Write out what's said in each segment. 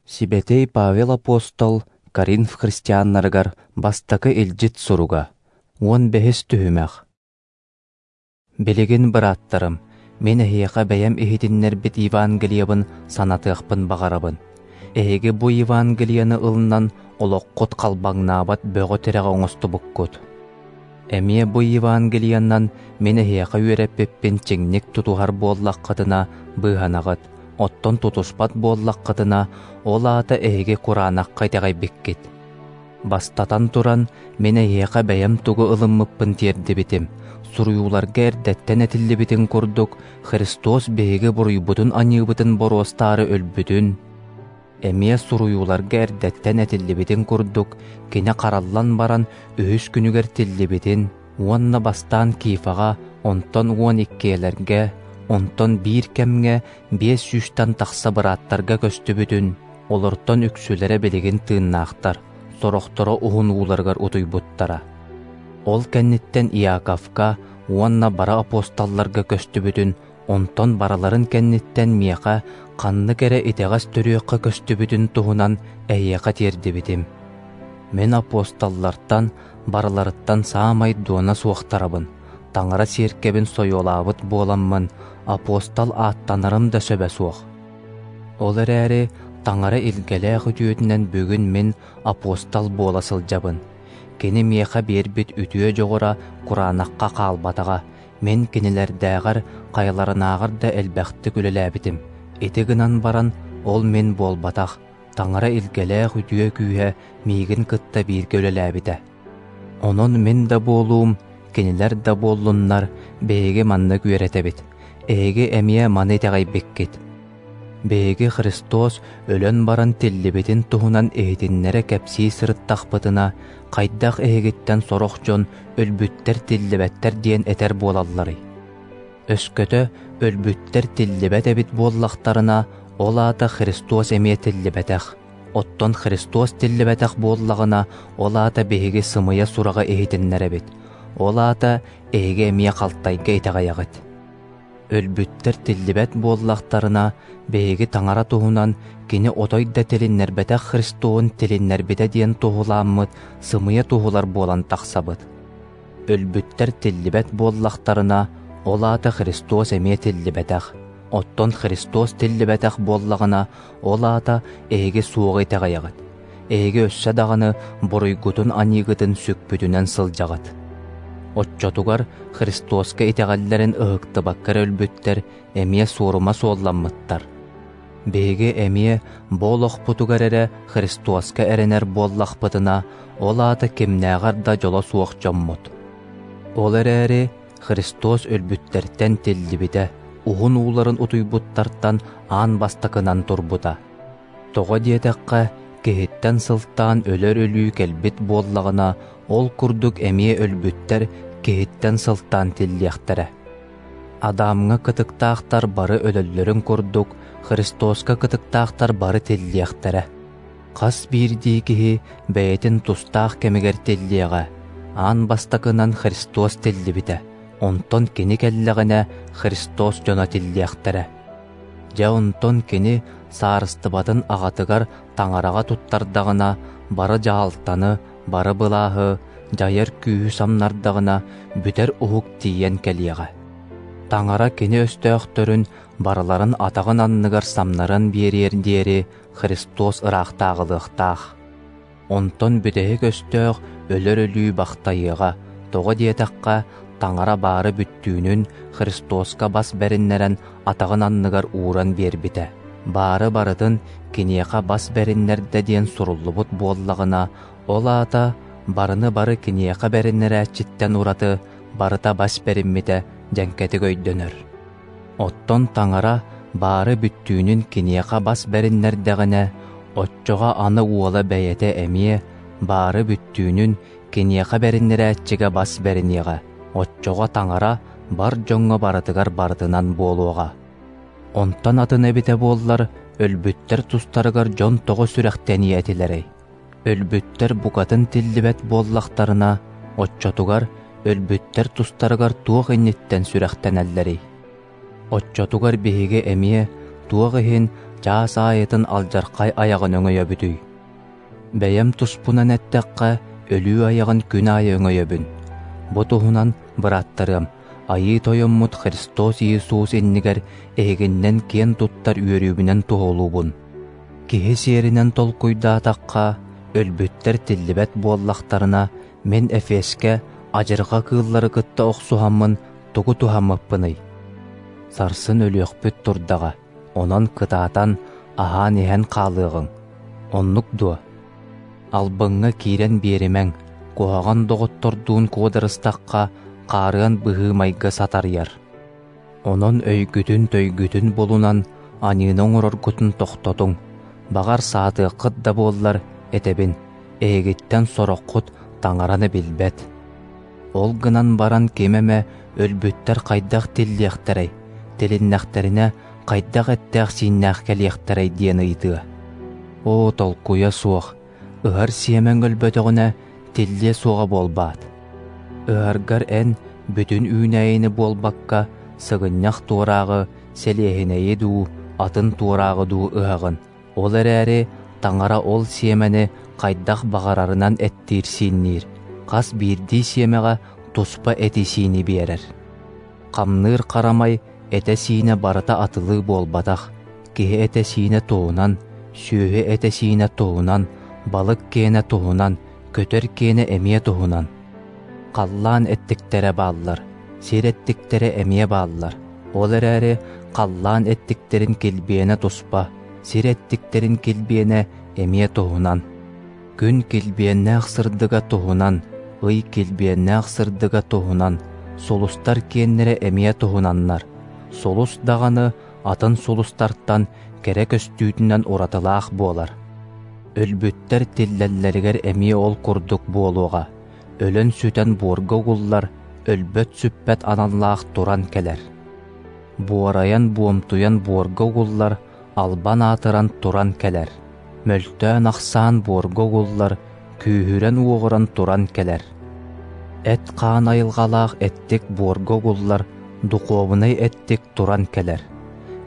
Сибэтиэй Павел апостол Коринф христианнарыгар бастакы илдьит суруга, 15-ис түһүмэх. Билигин, бырааттарым, мин эһиэхэ бэйэм иһитиннэрбит Евангелиебын санатыахпын баҕарабын. Эһиги бу Евангелиены ылынан олоххут халбаҥнаабат бөҕө тирэҕи оҥостубуккут. Эмиэ бу Евангелиенан мин эһиэхэ үөрэппиппин чиҥник тутуһар буоллаххытына быыһанаҕыт, оттон тутуспат буоллаххытына, ол аата эһиги кураанахха итэҕэйбиккит. Бастатан туран, мин эһиэхэ бэйэм тугу ылыммыппын тиэрдибитим. Суруйууларга эрдэттэн этиллибитин курдук, Христос биһиги буруйбутун-аньыыбытын боруостаары өлбүтүн, эмиэ суруйууларга эрдэттэн этиллибитин курдук, кини хараллан баран үһүс күнүгэр тиллибитин уонна бастаан Кифаҕа, онтон 12-лэргэ, онтон биир кэмҥэ 500-тэн тахса бырааттарга көстүбүтүн, олортон үксүлэрэ билигин тыыннаахтар, сорохторо уһун ууларыгар утуйбуттара. Ол кэнниттэн Иаковка уонна бары апостолларга көстүбүтүн, онтон барыларын кэнниттэн миэхэ ханнык эрэ итэҕэс төрүөххэ көстүбүтүн туһунан эһиэхэ тиэрдибитим. Мин апостоллартан барыларыттан саамай дуона суохтарабын, Таҥара сиэркэбин сойуолаабыт буоламмын, апостол ааттанарым да сөбө суох. Ол эрээри Таҥара илгэлээх үтүөтүнэн бүгүн мин апостол буола сылдьабын. Кини миэхэ биэрбит үтүө дьоҕура кураанахха хаалбатаҕа, мин кинилэрдээҕэр хайаларынааҕар да элбэхтик үлэлээбитим. Ити гынан баран ол мин буолбатах, Таҥара илгэлээх үтүө күүһэ миигин кытта бииргэ үлэлээбитэ. Онон мин да буолуум, кинилэр да буоллуннар, биһиги маннык үөрэтэбит. Эһиги эмиэ маны итэҕэйбиккит. Биһиги Христос өлөн баран тиллибитин туһунан иһитиннэрэ кэпсии сырыттахпытына, хайдах эһигиттэн сорох дьон өлбүттэр тиллибэттэр диэн этэр буолалларый? Өскөтө өлбүттэр тиллибэт эбит буоллахтарына, ол аата Христос эмиэ тиллибэтэх. Оттон Христос тиллибэтэх буоллаҕына, ол аата биһиги сымыйа сураҕы иһитиннэрэбит. Ол аата эһиги эмиэ халтайга итэҕэйэҕит. Өлбүттэр тиллибэт буоллахтарына, биһиги Таҥара туһунан кини отой да тилиннэрбэтэх Христоһун тилиннэрбитэ диэн туһулааммыт сымыйа туһулар буолан тахсабыт. Өлбүттэр тиллибэт буоллахтарына, ол аата Христос эмиэ тиллибэтэх. Оттон Христос тиллибэтэх буоллаҕына, ол аата эһиги суоҕу итэҕэйэҕит. Эһиги өссө даҕаны буруйгутун-аньыыгытын сүкпүтүнэн сылдьаҕыт. Оччотугар Христоска итэҕэллэрин ыһыктыбакка эрэ өлбүттэр эмиэ суорума суолламмыттар. Биһиги эмиэ бу олохпутугар эрэ Христоска эрэнэр буоллахпытына, ол аата кимнээҕэр да дьоло суох дьоммут. Ол эрээри Христос өлбүттэртэн тиллибитэ, уһун ууларын утуйбуттартан аан бастакынан турбута. Тоҕо диэтэххэ, киһиттэн сылтаан өлөр өлүү кэлбит буоллаҕына, ол курдук эмиэ өлбүттэр киһиттэн сылтаан тиллиэхтэрэ. Адамҥа кытыктаахтар бары өлөллөрүн курдук, Христоска кытыктаахтар бары тиллиэхтэрэ. Хас биирдии киһи бэйэтин тустаах кэмигэр тиллиэҕэ. Аан бастакынан Христос тиллибитэ, онтон кини кэллэҕинэ Христос дьоно тиллиэхтэрэ. Дьэ онтон кини саарыстыбатын аҕатыгар Таҥараҕа туттардаҕына, бары дьаһалтаны, бары былааһы, дьайар күүһү самнардаҕына, бүтэр уһук тиийэн кэлиэҕэ. Таҥара кини өстөөхтөрүн барыларын атаҕын анныгар самнаран биэриэр диэри Христос ыраахтааҕылыахтаах. Онтон бүтэһик өстөөх өлөр өлүү бахтайыаҕа, тоҕо диэтэххэ, Таҥара баары бүттүүнүн Христоска бас бэриннэрэн атаҕын анныгар ууран биэрбитэ. Баары барытын киниэхэ бас бэриннэрдэ диэн суруллубут буоллаҕына, ол аата барыны бары киниэхэ бэриннэрээччиттэн ураты барыта бас бэриммитэ дьэҥкэтик өйдөнөр. Оттон Таҥара баары бүттүүнүн киниэхэ бас бэриннэрдэҕинэ, оччоҕо аны уола бэйэтэ эмиэ баары бүттүүнүн киниэхэ бэриннэрээччигэ бас бэриниэҕэ, оччоҕо Таҥара бар дьоҥҥо барытыгар барытынан буолуоҕа. Онтон атын эбитэ буоллар, өлбүттэр тустарыгар дьон тоҕо сүрэхтэниэ этилэрэй? Өлбүттэр букатын тиллибэт буоллахтарына, оччотугар өлбүттэр тустарыгар туох инниттэн сүрэхтэнэллэрий? Оччотугар биһиги эмиэ Туох иһин чаас аайытын алдьархай айаҕын өҥөйөбүтүй? Бэйэм туспунан эттэххэ, өлүү айаҕын күн аайы өҥөйөбүн. Бу туһунан, бырааттарыам, Айыы Тойоммут Христос Иисус иннигэр эһигиннэн киэн туттар үөрүүбүнэн туоһулуубун. Киһи сиэринэн толкуйдаатахха, өлбүттэр тиллибэт буоллахтарына, мин Эфескэ адьырҕа кыыллары кытта охсуһаммын тугу туһаммыппыный? Сарсын өлүөхпүт турдаҕа, онон кытаатан, аһаан-иһэн хаалыаҕыҥ. Оннук дуо? Албыҥҥа киирэн биэримэҥ, куһаҕан доҕоттордуун куодарыстахха, хаарыан быһыы-майгы сатарыйар. Онон өйгүтүн-төйгүтүн булунан, аньыыны оҥороргутун тохтотуҥ. Баҕар, саатыаххыт да буоллар, этэбин, эһигиттэн сороххут Таҥараны билбэт. Ол гынан баран ким эмэ өлбүттэр хайдах тиллиэхтэрэй, тилиннэхтэринэ хайдах эттээх-сииннээх кэлиэхтэрэй диэн ыйытыа. Оо, толкуйа суох, ыһар сиэмэҥ өлбөтөҕүнэ тиллиэ суоҕа буолбаат. Ыһаргар эн бүтүн үүнээйини буолбакка, сыгынньах туорааҕы, сэлиэһинэйи дуу, атын туорааҕы дуу ыһаҕын. Ол эрээри Таҥара ол сиэмэни хайдах баҕарарынан эттиир-сиинниир, хас биирдии сиэмэҕэ туспа эти-сиини биэрэр. Хамныыр харамай этэ-сиинэ барыта атылыы буолбатах, киһи этэ-сиинэ туһунан, сүөһү этэ-сиинэ туһунан, балык киэнэ туһунан, көтөр киэнэ эмиэ туһунан. Халлаан эттиктэрэ бааллар, сир эттиктэрэ эмиэ бааллар. Ол эрээри халлаан эттиктэрин килбиэнэ туспа, сир эттиктэрин килбиэнэ эмиэ туһунан. Күн килбиэннээх сырдыга туһунан, ый килбиэннээх сырдыга туһунан, сулустар киэннэрэ эмиэ туһунаннар. Сулус даҕаны атын сулустартан кэрэ көстүүтүнэн уратылаах буолар. Өлбүттэр тиллэллэригэр эмиэ ол курдук буолуоҕа. Өлөн-сүтэн буорга угуллар, өлбөт-сүппэт аналлаах туран кэлэр. Буорайан-буомтуйан буорга угуллар, албан аатыран туран кэлэр. Мөлтөөн-ахсаан буорга угуллар, күүһүрэн-уоҕуран туран кэлэр. Эт-хаан айылҕалаах эттик буорга угуллар, духуобунай эттик туран кэлэр.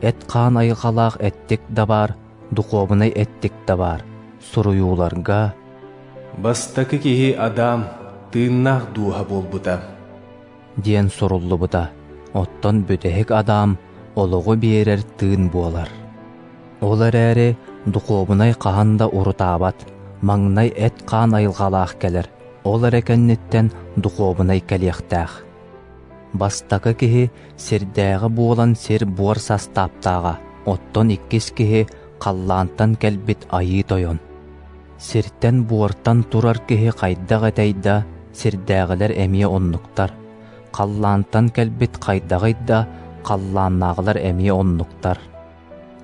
Эт-хаан айылҕалаах эттик да баар, духуобунай эттик да баар. Суруйууларга «Бастакы киһи Адам тыыннаах дууһа буолбута» диэн суруллубута. Оттон бүтэһик Адам олоҕу биэрэр тыын буолар. Ол эрээри духуобунай хаһан да урутаабат, маҥнай эт-хаан айылҕалаах кэлэр, ол эрэ кэнниттэн духуобунай кэлиэхтээх. Бастакы киһи сирдээҕи буолан сир-буор састааптааҕа, оттон иккис киһи халлаантан кэлбит Айыы Тойон. Сиртэн-буортан турар киһи хайдах этэй да, сирдээҕилэр эмиэ оннуктар. Халлаантан кэлбит хайдаҕый да, халлааннааҕылар эмиэ оннуктар.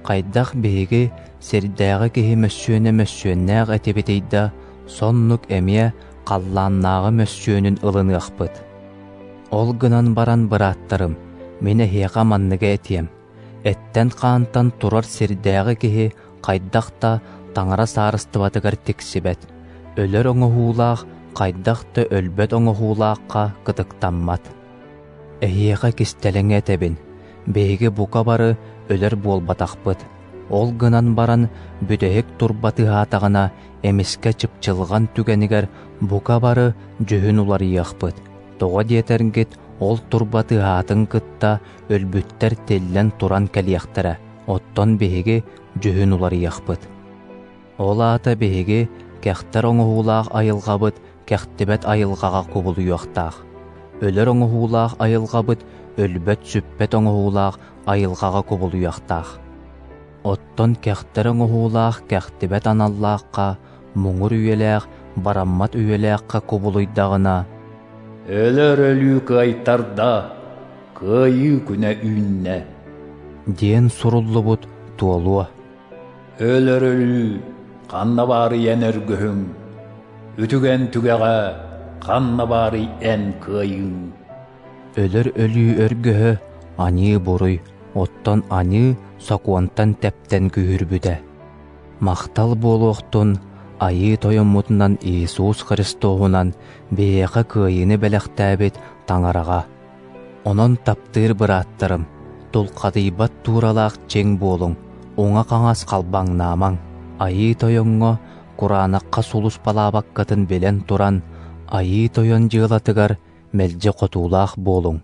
Хайдах биһиги сирдээҕи киһи мөссүөнэ мөссүөннээх этибитий да, соннук эмиэ халлааннааҕы мөссүөнүн ылыныахпыт. Ол гынан баран, бырааттарым, мин эһиэхэ манныгы этиэм: эттэн-хаантан турар сирдээҕи киһи хайдах да Таҥара саарыстыбатыгар тиксибэт, өлөр оҥоһуулаах хайдах да өлбөт оҥоһуулаахха кытыктаммат. Эһиэхэ кистэлэҥи этэбин, биһиги бука бары өлөр буолбатахпыт, ол гынан баран бүтэһик турба тыаһаатаҕына эмискэ чыпчылҕан түгэнигэр бука бары дьүһүн уларыйыахпыт. Тоҕо диэтэргит, ол турба тыаһаатын кытта өлбүттэр тиллэн туран кэлиэхтэрэ, оттон биһиги дьүһүн уларыйыахпыт. Ол аата биһиги кэхтэр оҥоһуулаах айылҕабыт кэхтибэт айылҕаҕа кубулуйуохтаах. Өлөр оҥоһуулаах айылҕабыт өлбөт-сүппэт оҥоһуулаах айылҕаҕа кубулуйуохтаах. Оттон кэхтэр оҥоһуулаах кэхтибэт аналлаахха, муҥур үйэлээх, бараммат үйэлээххэ кубулуйдаҕына, «Өлөр өлүү кыайтарда, кыайыы күнэ үүннэ» диэн суруллубут туолуо. Өлөр өлүү ханна баарый эн өргөһүҥ, үтүгэн түгэҕэ ханна баарый эн кыайыыҥ? Өлөр өлүү өргөһө аньыы-буруй, оттон аньыы сокуонтан тэптэн күүһүрбүтэ. Махтал буолуохтун Айыы Тойоммутунан Иисус Христоһунан биһиэхэ кыайыыны бэлэхтээбит Таҥараҕа. Онон таптыыр бырааттарым, тулхадыйбат тууралаах чиҥ буолуҥ. Уҥа-хаҥас халбаҥнаамаҥ. Айыы Тойоҥҥо кураанахха сулууспалаабаккытын билэн туран, Айыы Тойон дьыалатыгар мэлдьи хотуулаах буолуҥ.